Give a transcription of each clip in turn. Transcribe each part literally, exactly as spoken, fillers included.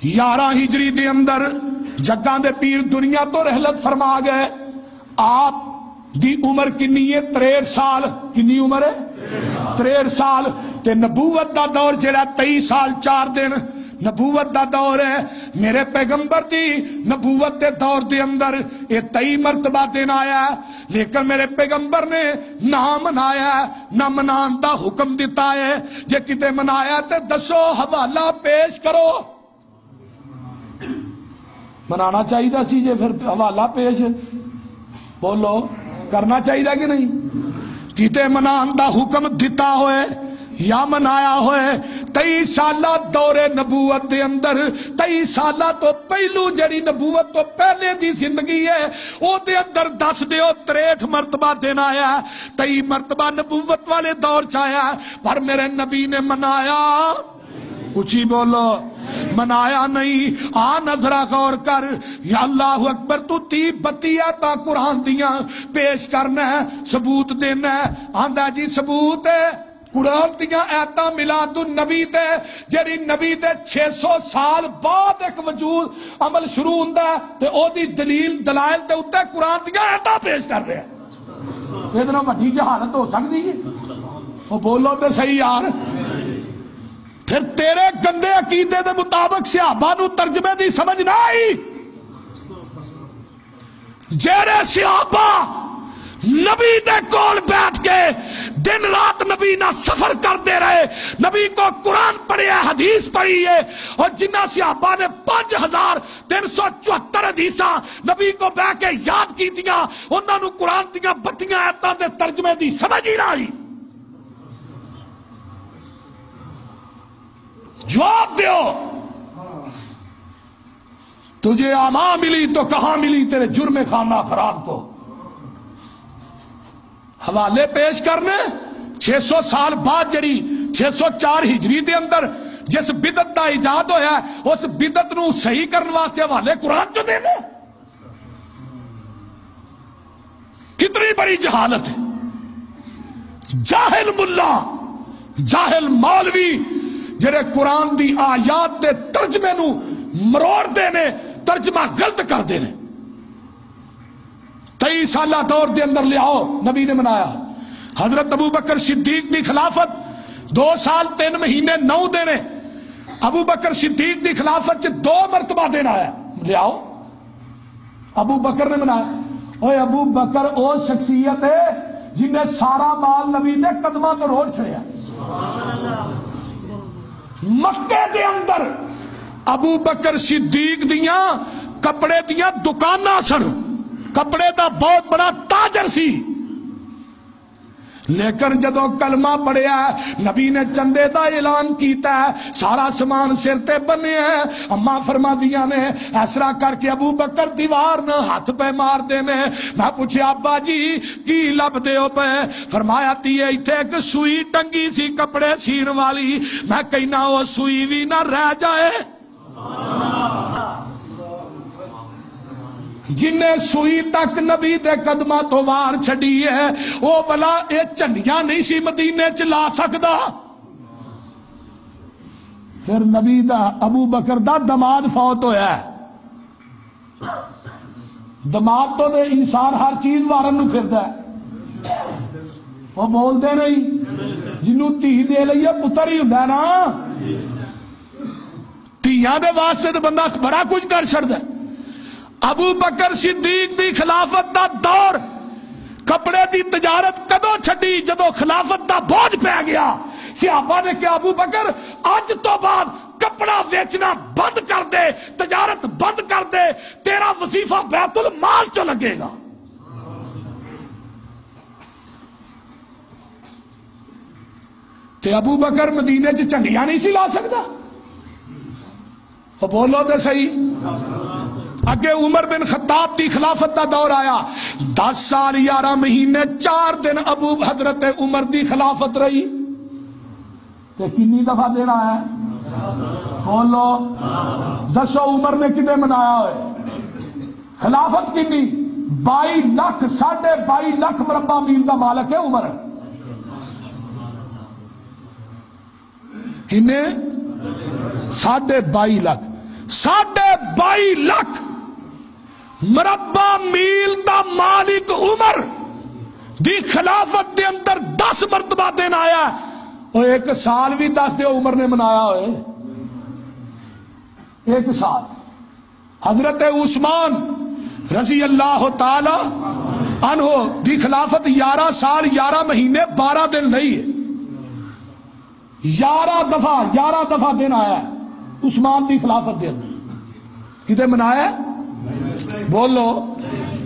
یارہ ہجری دے اندر جگاں دے پیر دنیا تو رحلت فرما گئے۔ آپ دی عمر کنی ہے؟ تریہٹھ سال۔ کنی عمر ہے؟ تریہٹھ سال۔ تے نبوت دا دور جڑا تئی سال چار دن نبوت دا دور ہے۔ میرے پیغمبر دی نبوت دے دور دے اندر یہ تئی مرتبہ دن آیا ہے، لیکن میرے پیغمبر نے نہ منایا ہے، نہ منان دا حکم دتا ہے۔ جے کتے منایا تے دسو، حوالہ پیش کرو۔ منانا چاہیے سی جے پھر حوالہ پیش، بولو، کرنا چاہیے کہ نہیں؟ کتے منان دا حکم دتا ہوئے یا منایا ہوئے، تئی سالہ دور نبوت دے اندر، تئی سالہ تو پہلو جڑی نبوت تو پہلے دی زندگی ہے، او دے اندر دس دیو، تریہٹھ مرتبہ دن آیا، تئی مرتبہ نبوت والے دور چ آیا، پر میرے نبی نے منایا۔ اچھی بولو، منایا نہیں۔ آ نظرہ غور کر، یا اللہ اکبر، تو تی بتی آیتاں قرآن دیاں پیش کرنا ہے، ثبوت دینا ہے۔ آندا جی ثبوت ہے، قرآن دیاں آیتاں میلاد النبی تے، جڑی نبی دے چھ سو سال بعد ایک وجود عمل شروع ہوندا ہے، تے او دی دلیل دلائل دے اُتے قرآن دیاں آیتاں پیش کر رہے ہیں۔ یہ وڈی جہالت ہو سکتی ہے؟ وہ بولو تے صحیح یار۔ پھر تیرے گندے عقیدے دے مطابق صحابہ نو ترجمے دی سمجھ نہ آئی۔ جیڑے صحابہ نبی دے کول بیٹھ کے دن رات نبی نہ سفر کردے رہے، نبی کو قرآن پڑھیا، حدیث پڑھی ہے، اور جنہ صحابہ نے پانچ ہزار تین سو چوہتر حدیثاں نبی کو بہ کے یاد کیتیاں، انہاں نو قرآن دیاں بتیاں آیتاں دے ترجمے دی سمجھ ہی نہ آئی۔ جواب دیو۔ تجھے آما ملی تو کہاں ملی تیرے جرم خانہ خراب کو؟ حوالے پیش کرنے۔ چھ سو سال بعد جڑی چھ سو چار ہجری دے اندر جس بدعت دا ایجاد ہویا ہے، اس بدعت نو صحیح کرن واسطے حوالے قرآن چ دینے۔ کتنی بڑی جہالت ہے۔ جاہل ملا، جاہل مولوی جڑے قرآن دی آیات دے ترجمے نو مروڑ دے نے، ترجمہ غلط کر دے نے۔ تئی سالہ دور دے اندر لیاؤ، نبی نے منایا۔ حضرت ابو بکر صدیق دی خلافت دو سال تین مہینے نو دن ہے۔ ابو بکر صدیق دی خلافت چ دو مرتبہ دن آیا، لیاؤ۔ ابو بکر نے منایا۔ اوے، ابو بکر او شخصیت ہے جن نے سارا مال نبی دے قدماں تو روڑ چھڑیا۔ مکے دے اندر ابو بکر صدیق دیاں کپڑے دیاں دکاناں سن، کپڑے دا بہت بڑا تاجر سی۔ لیکن جدوں کلمہ پڑھیا، نبی نے چندے دا اعلان کیتا ہے، سارا سامان سر تے بنیا ہے۔ اماں فرما دیاں نے، اس طرح کر کے ابو بکر دیوار نہ ہاتھ پہ مار دے نے۔ میں پوچھیا، "ابا جی، کی لب دے ہو پے؟" فرمایا، "تی ایتھے ایک سوئی ٹنگی سی کپڑے سین والی، میں کہنا او سوئی وی نہ رہ جائے۔" جن نے سوئی تک نبی دے قدماں تو وار چھڈی ہے، او بلا اے جھنڈیاں نہیں سی مدینے چ لا سکدا۔ پھر نبی دا، ابو بکر دا دماد فوت ہویا ہے۔ دماد تو دے انسان ہر چیز وارن نو پھردا ہے۔ وہ بولدے نہیں۔ جنوں دھی دے لئیے پتر ہی ہوندا ہے نا۔ دھیاں دے واسطے تے بندہ بڑا کچھ کر چھڑدا ہے۔ ابو بکر صدیق دی خلافت دا دور، کپڑے دی تجارت کدوں چھڈی؟ جدوں خلافت دا بوجھ پے گیا۔ صحابہ نے کہا، "ابو بکر، اج تو بعد کپڑا ویچنا بند کر دے، تجارت بند کر دے، تیرا وظیفہ بیت المال چوں لگے گا۔" تے ابو بکر مدینے چ جھنڈیاں نہیں سی لا سکدا؟ او بولو تے صحیح۔ اگے عمر بن خطاب دی خلافت دا دور آیا، دس سال یارہ مہینے چار دن ابو حضرت عمر دی خلافت رہی۔ تے کنی دفعہ دینا ہے؟ بولو، دسو عمر نے کدے منایا ہوئے؟ خلافت کنی؟ بائی لکھ، ساڑھے بائی لکھ مربع میل دا مالک ہے عمر۔ کنے؟ ساڑھے بائی لکھ۔ ساڑھے بائی لاکھ مربع میل دا مالک عمر دی خلافت دے اندر دس مرتبہ دن آیا۔ او ایک سال بھی دس دے عمر نے منایا ہوئے، ایک سال۔ حضرت عثمان رضی اللہ تعالی عنہ دی خلافت یارہ سال، یارہ مہینے، بارہ دن نہیں ہے۔ یارہ دفعہ، یارہ دفعہ دن آیا ہے عثمان دی خلافت دے اندر۔ کدے منایا ہے؟ بولو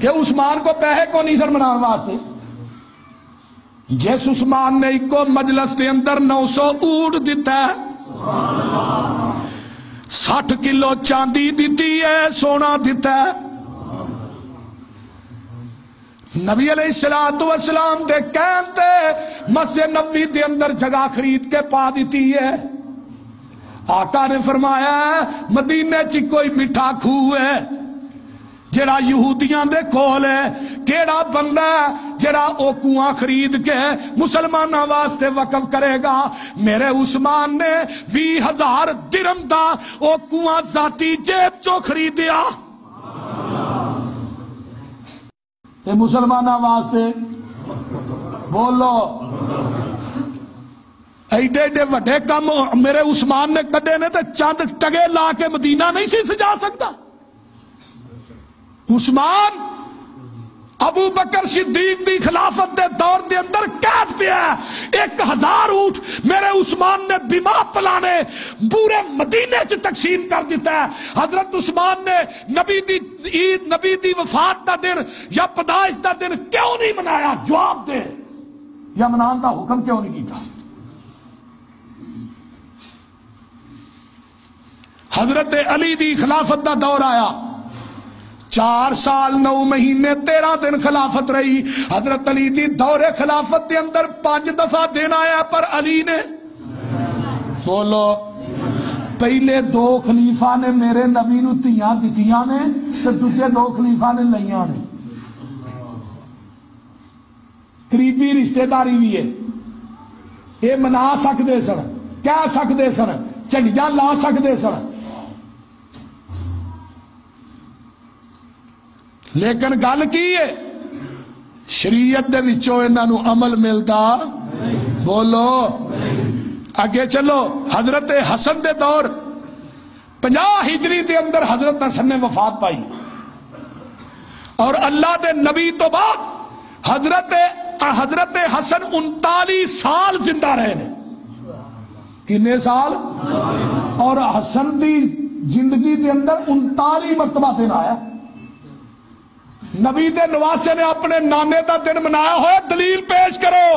کہ عثمان کو پیسے کو نہیں سر منانے واسطے۔ جس عثمان نے ایک مجلس دے اندر نو سو اونٹ دیتا ہے، سٹھ کلو چاندی دیتی ہے، سونا دیتا ہے۔ نبی علیہ الصلوۃ والسلام دے کہن تے مسجد نبوی دے اندر جگہ خرید کے پا دتی ہے۔ آقا نے فرمایا، مدینے چ کوئی میٹھا کھوہ ہے جڑا یہودیاں دے کول ہے، کیڑا بندہ ہے جڑا او کنواں خرید کے مسلماناں واسطے وقف کرے گا؟ میرے عثمان نے ویہہ ہزار درم دا او کنواں ذاتی جیب چوں خریدیا۔ تے مسلماناں واسطے بولو، ایڈے ایڈے وڈے کم میرے عثمان نے کڈے نے، تے چند ٹگے لا کے مدینہ نہیں سی سجا سکتا۔ عثمان ابو بکر صدیق دی خلافت دے دور دے اندر قید پیا ہے۔ ایک ہزار اونٹ میرے عثمان نے بما پلانے پورے مدینے چ تقسیم کر دیتا ہے۔ حضرت عثمان نے نبی دی عید، نبی دی وفات دا دن یا پیدائش دا دن کیوں نہیں منایا؟ جواب دے، یا منان دا حکم کیوں نہیں کیتا؟ حضرت علی دی خلافت دا دور آیا، چار سال نو مہینے تیرہ دن خلافت رہی۔ حضرت علی دی دور خلافت دے اندر پانچ دفعہ دن آیا، پر علی نے، بولو، پہلے دو خلیفہ نے میرے نبی نو دھیاں دتیاں نے، تے دوجے دو خلیفہ نے لئیاں نے۔ قریبی رشتہ داری بھی ہے، یہ منا سکتے سن، کہہ سکتے سن، جھنڈیاں لا سکتے سن۔ لیکن گل کی ہے؟ شریعت دے وچوں انہاں نوں عمل ملدا؟ بولو۔ اگے چلو، حضرت حسن دے دور، پنجاہ ہجری دے اندر حضرت حسن نے وفات پائی، اور اللہ دے نبی تو بعد حضرت حضرت حسن انتالیس سال زندہ رہے نے۔ کنے سال؟ اور حسن دی زندگی دے اندر انتالیس مرتبہ دن آیا۔ نبی دے نواسے نے اپنے نانے دا دن منایا ہویا، دلیل پیش کرو۔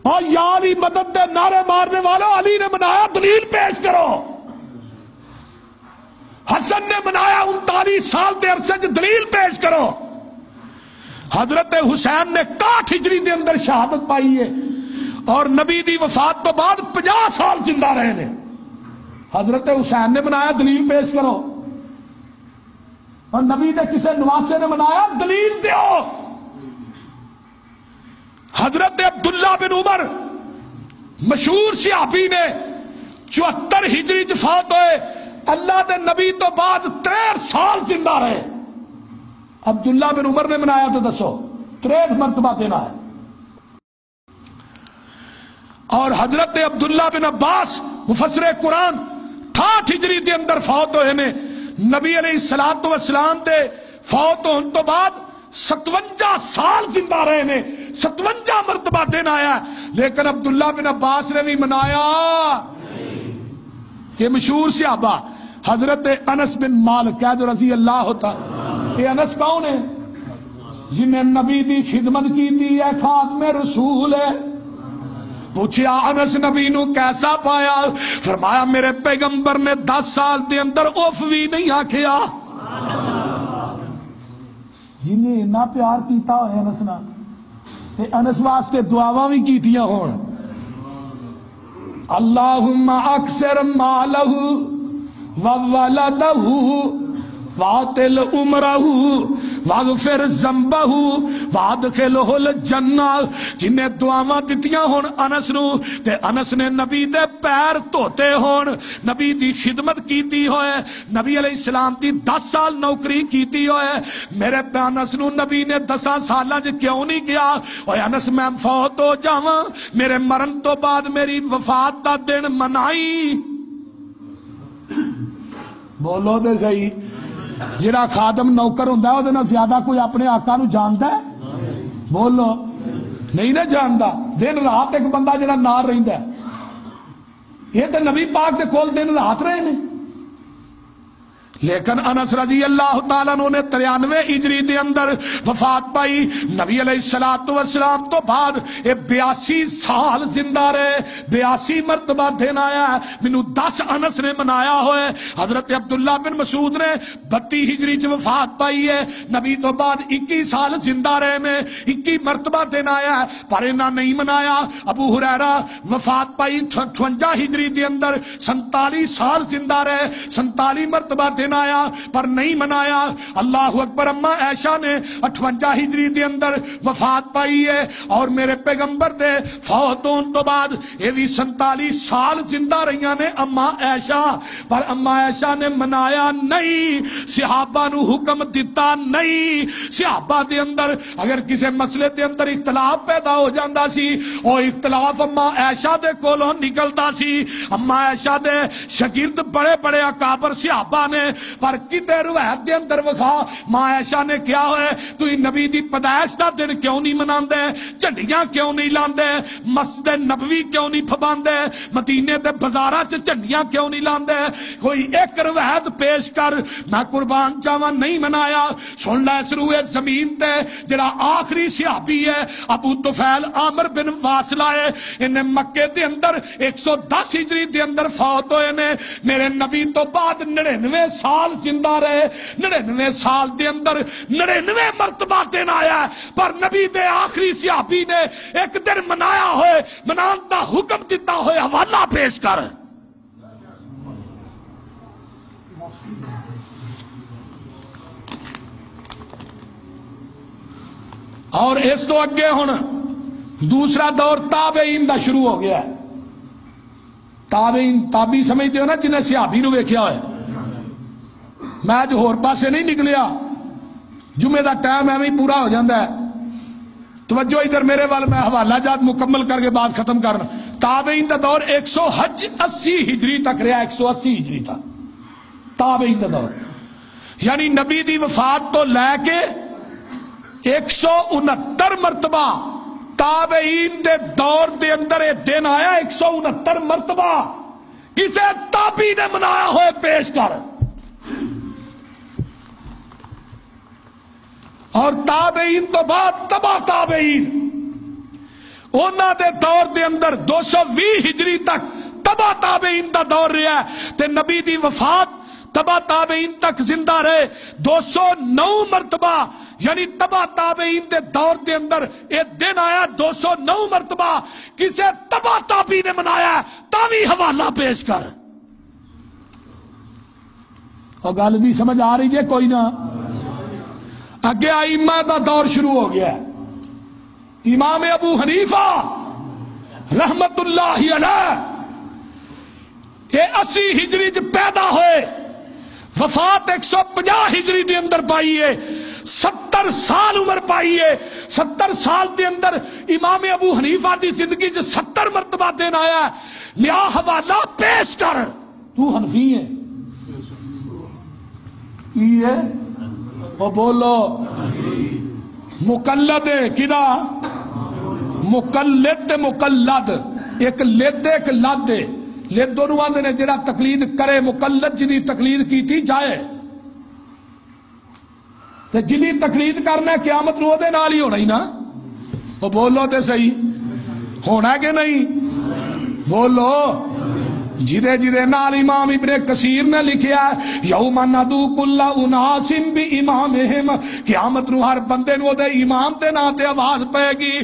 اور یا علی مدد دے نعرے مارنے والوں، علی نے منایا، دلیل پیش کرو۔ حسن نے منایا انتالیس سال دے عرصے چ، دلیل پیش کرو۔ حضرت حسین نے اکاٹھ ہجری دے اندر شہادت پائی ہے اور نبی دی وفات تو بعد پنجاہ سال زندہ رہے نے۔ حضرت حسین نے منایا، دلیل پیش کرو۔ اور نبی دے کسے نواسے نے منایا، دلیل دیو۔ حضرت عبداللہ بن عمر، مشہور صحابی نے، چوہتر ہجری چ فوت ہوئے، اللہ دے نبی تو بعد تریہٹھ سال زندہ رہے۔ عبداللہ بن عمر نے منایا تو دسو، تریہٹھ مرتبہ دینا ہے۔ اور حضرت عبداللہ بن عباس، مفسر قرآن، اٹھاٹھ ہجری دے اندر فوت ہوئے نے۔ نبی علیہ الصلوۃ والسلام دے فوت ہون تو بعد ستونجا سال زندہ رہے نے، ستونجا مرتبہ دن آیا، لیکن عبداللہ بن عباس نے بھی منایا۔ یہ مشہور صحابہ حضرت انس بن مالک، کہہ دو رضی اللہ تعالی۔ یہ انس کون ہے؟ جنہیں نبی دی خدمت کی تھی، ایک خادم رسول ہے۔ پوچھیا، انس نبی نو کیسا پایا؟ فرمایا، میرے پیغمبر نے دس سال دے اندر اف بھی نہیں آکھیا۔ جنہیں اتنا پیار کیتا ہوئے انس نال، تے انس واسطے دعاواں بھی کیتیاں ہون، اللہم اکثر مالہ و ولدہ۔ واطل عمرہ واغفر ذنبہ وادخلہ الجنہ۔ جنہیں دعاواں دتیاں ہون انس نو، تے انس نے نبی دے پیر دھوتے ہون، نبی دی خدمت کیتی ہوئے، نبی علیہ السلام دی دس سال نوکری کیتی ہوئے۔ میرے انس نو نبی نے دساں سالاں چ کیوں نہیں کیا، اوے انس، میں فوت ہو جاواں، میرے مرن تو بعد میری وفات دا دن منائی؟ بولو تے صحیح۔ جڑا خادم نوکر ہوندا ہے، اودے نال زیادہ کوئی اپنے آقا نو جاندا ہے؟ بولو، نہیں نہ جاندا۔ دن رات ایک بندہ جڑا نال رہندا ہے، یہ تے نبی پاک دے کول دن رات رہے نے۔ لیکن انس رضی اللہ تعالیٰ عنہ نے ترانوے ہجری دے اندر وفات پائی۔ نبی علیہ الصلوۃ والسلام تو بعد یہ بیاسی سال زندہ رہے، بیاسی مرتبہ دن آیا ہے۔ مینوں دس انس نے منایا ہوئے۔ حضرت عبداللہ بن مسعود نے بتی ہجری چ وفات پائی ہے۔ نبی تو بعد اکی سال زندہ رہے نے، اکی مرتبہ دن آیا ہے، پر انہاں نہیں منایا۔ ابو ہریرہ وفات پائی اٹھونجا ہجری دے اندر، سنتالی سال زندہ رہے، سنتالی مرتبہ دن آیا، پر نہیں منایا۔ اللہ اکبر۔ اما عائشہ نے اٹھونجا ہجری دے اندر وفات پائی ہے، اور میرے پیغمبر دے فوت ہون تو بعد یہ بھی سنتالی سال زندہ رہیاں نے اما عائشہ، پر اما عائشہ نے منایا نہیں، صحابہ نو حکم دتا نہیں۔ صحابہ دے اندر اگر کسے مسئلے دے اندر اختلاف پیدا ہو جاندا سی، او اختلاف اما عائشہ دے کولوں نکلدا سی۔ اما عائشہ دے شاگرد بڑے بڑے اکابر صحابہ نے، پر کتے روایت دے اندر وکھا، ماں عائشہ نے کیا ہوئے، تسی نبی دی پیدائش دا دن کیوں نہیں مناندے؟ جھنڈیاں کیوں نہیں لاندے؟ مسجد نبوی کیوں نہیں پھباندے؟ مدینے دے بازاراں چ جھنڈیاں کیوں نہیں لاندے؟ کوئی ایک روایت پیش کر، میں قربان جاواں، نہیں منایا۔ سن لے، اس روئے زمین تے جڑا آخری صحابی ہے، ابو طفیل عامر بن واصلہ ہے۔ انہیں مکے دے اندر ایک سو دس ہجری دے اندر فوت ہوئے نے۔ میرے نبی تو بعد نڑینوے سال زندہ رہے۔ نڑینوے سال دے اندر نڑینوے مرتبہ دن آیا ہے، پر نبی دے آخری صحابی نے ایک دن منایا ہوئے، منان دا حکم دتا ہوئے، حوالہ پیش کر۔ اور اس تو اگے ہن دوسرا دور تابعین دا شروع ہو گیا ہے۔ تابعین، تابعی سمجھتے ہو نا، جنہیں صحابی نو ویکھیا ہوئے۔ میں اج ہور پاسے نہیں نکلیا، جمعے دا ٹائم ایویں ہی پورا ہو جاندا ہے۔ توجہ ادھر میرے وال، میں حوالہ جات مکمل کر کے بات ختم کرنا۔ تابعین دا دور ایک سو حج، اسی ہجری تک رہا، ایک سو اسی ہجری تک تابعین دا دور، یعنی نبی دی وفات تو لے کے ایک سو انہتر مرتبہ تابعین دے دور دے اندر یہ دن آیا، ایک سو انہتر مرتبہ کسے تابعی نے منایا ہوئے پیش کر۔ اور تابعین تو بعد تبع تابعین، انہاں دے دور دے اندر دو سو ویہہ ہجری تک تبع تابعین دا دور رہا ہے، تے نبی دی وفات تبع تابعین تک زندہ رہے۔ دو سو نو مرتبہ، یعنی تبع تابعین دے دور دے اندر اے دن آیا، دو سو نو مرتبہ کسے تبع تابعی نے منایا ہے، تاں وی حوالہ پیش کر۔ اور گل بھی سمجھ آ رہی ہے کوئی نہ؟ اگے ائمہ دا دور شروع ہو گیا ہے۔ امام ابو حنیفہ رحمت اللہ علیہ، یہ اسی ہجری چ پیدا ہوئے، وفات ایک سو پنجاہ ہجری دے اندر پائی ہے، ستر سال عمر پائی ہے۔ ستر سال دے اندر امام ابو حنیفہ دی زندگی چ ستر مرتبہ دن آیا ہے۔ لیا حوالہ پیش کر۔ تو حنفی ہے؟ کی ہے؟ او بولو۔ مقلد ہے، کدا؟ مقلد تے مقلد۔ ایک لد ہے، ایک لد ہے۔ لد انہوں آندے نے جڑا تقلید کرے، مقلد جدی تقلید کیتی جائے۔ تے جنہیں تقلید کرنا ہے، قیامت نو دے نال ہی ہونا ہی نا۔ او بولو تے صحیح، ہونا کہ نہیں؟ بولو۔ جدے جدے نال امام ابن کثیر نے لکھیا، "یوم ندعو کل اناس بامامہم"، قیامت نو ہر بندے نو دے امام دے نام تے آواز پائے گی۔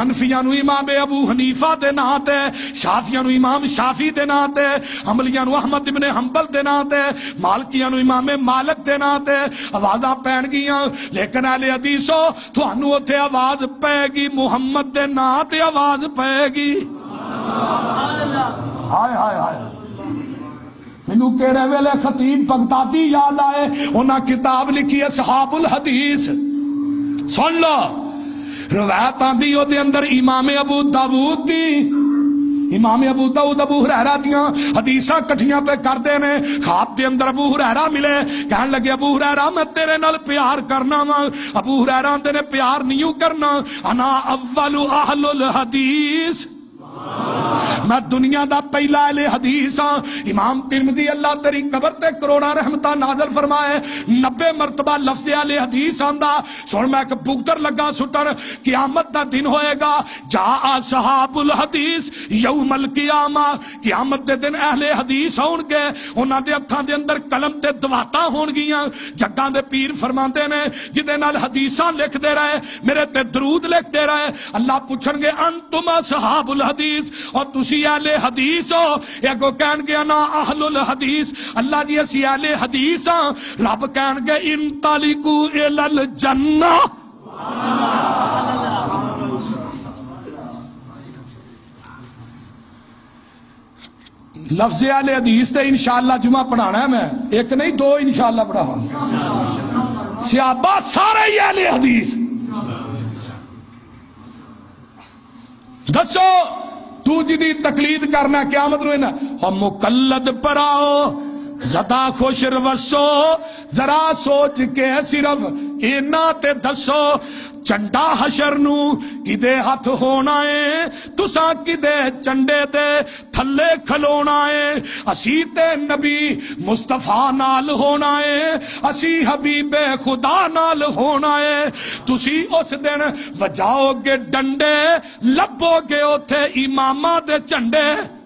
حنفیاں نو امام ابو حنیفہ دے نام تے، شافعیاں نو امام شافعی دے نام تے، حنبلیاں نو احمد ابن حنبل دے نام تے، مالکیاں نو امام مالک دے نام تے آوازاں پین گیاں۔ لیکن اہل حدیثو، تھانوں اوتھے آواز پائے گی، محمد دے نام تے آواز پائے گی۔ ہائے، ہائے، ہائے۔ مینوں کہڑے ویلے خطیب بغدادی یاد آئے، انہاں کتاب لکھی اصحاب الحدیث۔ سن لو، روایت آندی او دے اندر امام ابو داؤد دی، امام ابو داؤد ابو ہریرہ دیاں حدیثاں کٹھیاں پہ کردے نے۔ خواب دے اندر ابو ہریرہ ملے، کہن لگے، "ابو ہریرہ، میں تیرے نال پیار کرنا وا۔" ابو ہریرہ آندے نے، "پیار نہیں کرنا، انا اول اہل الحدیث۔" میں دنیا دا پہلا اہل حدیث ہاں۔ امام ترمذی، اللہ تیری قبر تے کروڑاں رحمتاں نازل فرمائے، نبے مرتبہ لفظ اہل حدیث آندا۔ سن، میں ایک بگدر لگا سٹن، قیامت دا دن ہوئے گا، جاء اصحاب الحدیث یوم القیامہ، قیامت دے دن اہل حدیث ہون گے، انہاں دے ہتھاں دے اندر قلم تے دواتا ہون گیاں، جگاں دے پیر فرماندے نے، جدے نال حدیثاں لکھ دے رہے، میرے تے درود لکھ دے رہے، اللہ پوچھن گے، "انتم اصحاب الحدیث"، اور تسی اہل حدیث ہو؟ یہ اگوں کہن گے، "انا اہل الحدیث"، اللہ جی، اسی اہل حدیث ہاں۔ رب کہن گے، "انطلقوا الی الجنہ"۔ لفظ اہل حدیث تے انشاءاللہ جمعہ پڑھانا ہے میں، ایک نہیں، دو انشاءاللہ پڑھاواں۔ صحابہ سارے ہی اہل حدیث۔ دسو، تو جدی تقلید کرنا قیامت نو نا، او مقلد پراؤ، زدہ خوش روسو، ذرا سوچ کے صرف اینا تے دسو، چنڈا حشر نو کدے ہتھ ہونا ہے، تساں کدے چنڈے تے تھلے کھلونا ہے۔ اسی تے نبی مصطفیٰ نال ہونا ہے، اسی حبیب خدا نال ہونا ہے۔ تسی اس دن وجاؤ گے ڈنڈے، لبو گے اوتھے اماماں دے جھنڈے۔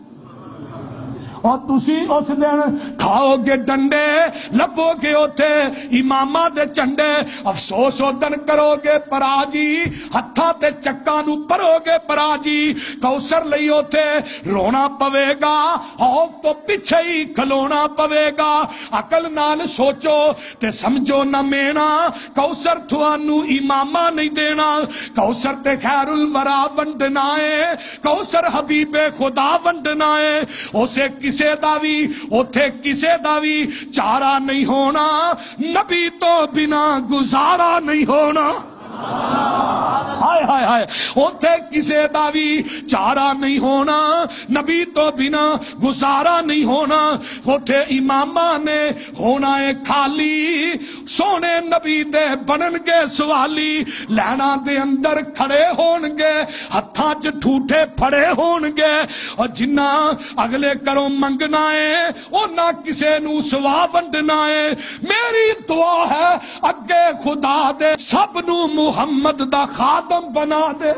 اور تسی اس دن کھاؤ گے ڈنڈے، لبو گے اوتھے اماماں دے جھنڈے۔ افسوس او دن کرو گے پرا جی، ہتھاں تے چکاں نوں پرو گے پرا جی۔ کوثر لئی اوتھے رونا پوے گا، خوف تو پیچھے ہی کھلونا پوے گا۔ عقل نال سوچو تے سمجھو نہ مینا، کوثر تھانوں امامہ نہیں دینا، کوثر تے خیر الورا ونڈنا ہے، کوثر حبیب خدا ونڈنا ہے۔ اسے کسے دا وی، اوتھے کسے دا وی چارہ نہیں ہونا، نبی تو بنا گزارا نہیں ہونا۔ ہائے، ہائے، ہائے۔ اوتھے کسے دا وی چارہ نہیں ہونا، نبی تو بنا گزارا نہیں ہونا۔ اوتھے اماماں نے ہونا ہے خالی، سونے نبی دے بنن گے سوالی۔ لائناں دے اندر کھڑے ہون گے، ہتھاں چ ٹھوٹے پھڑے ہون گے۔ اور جنہ اگلے کروں منگنا ہے، او نہ کسے نوں سوا ونڈنا ہے۔ میری دعا ہے، اگے خدا دے سب نوں محمد دا خادم بنا دے۔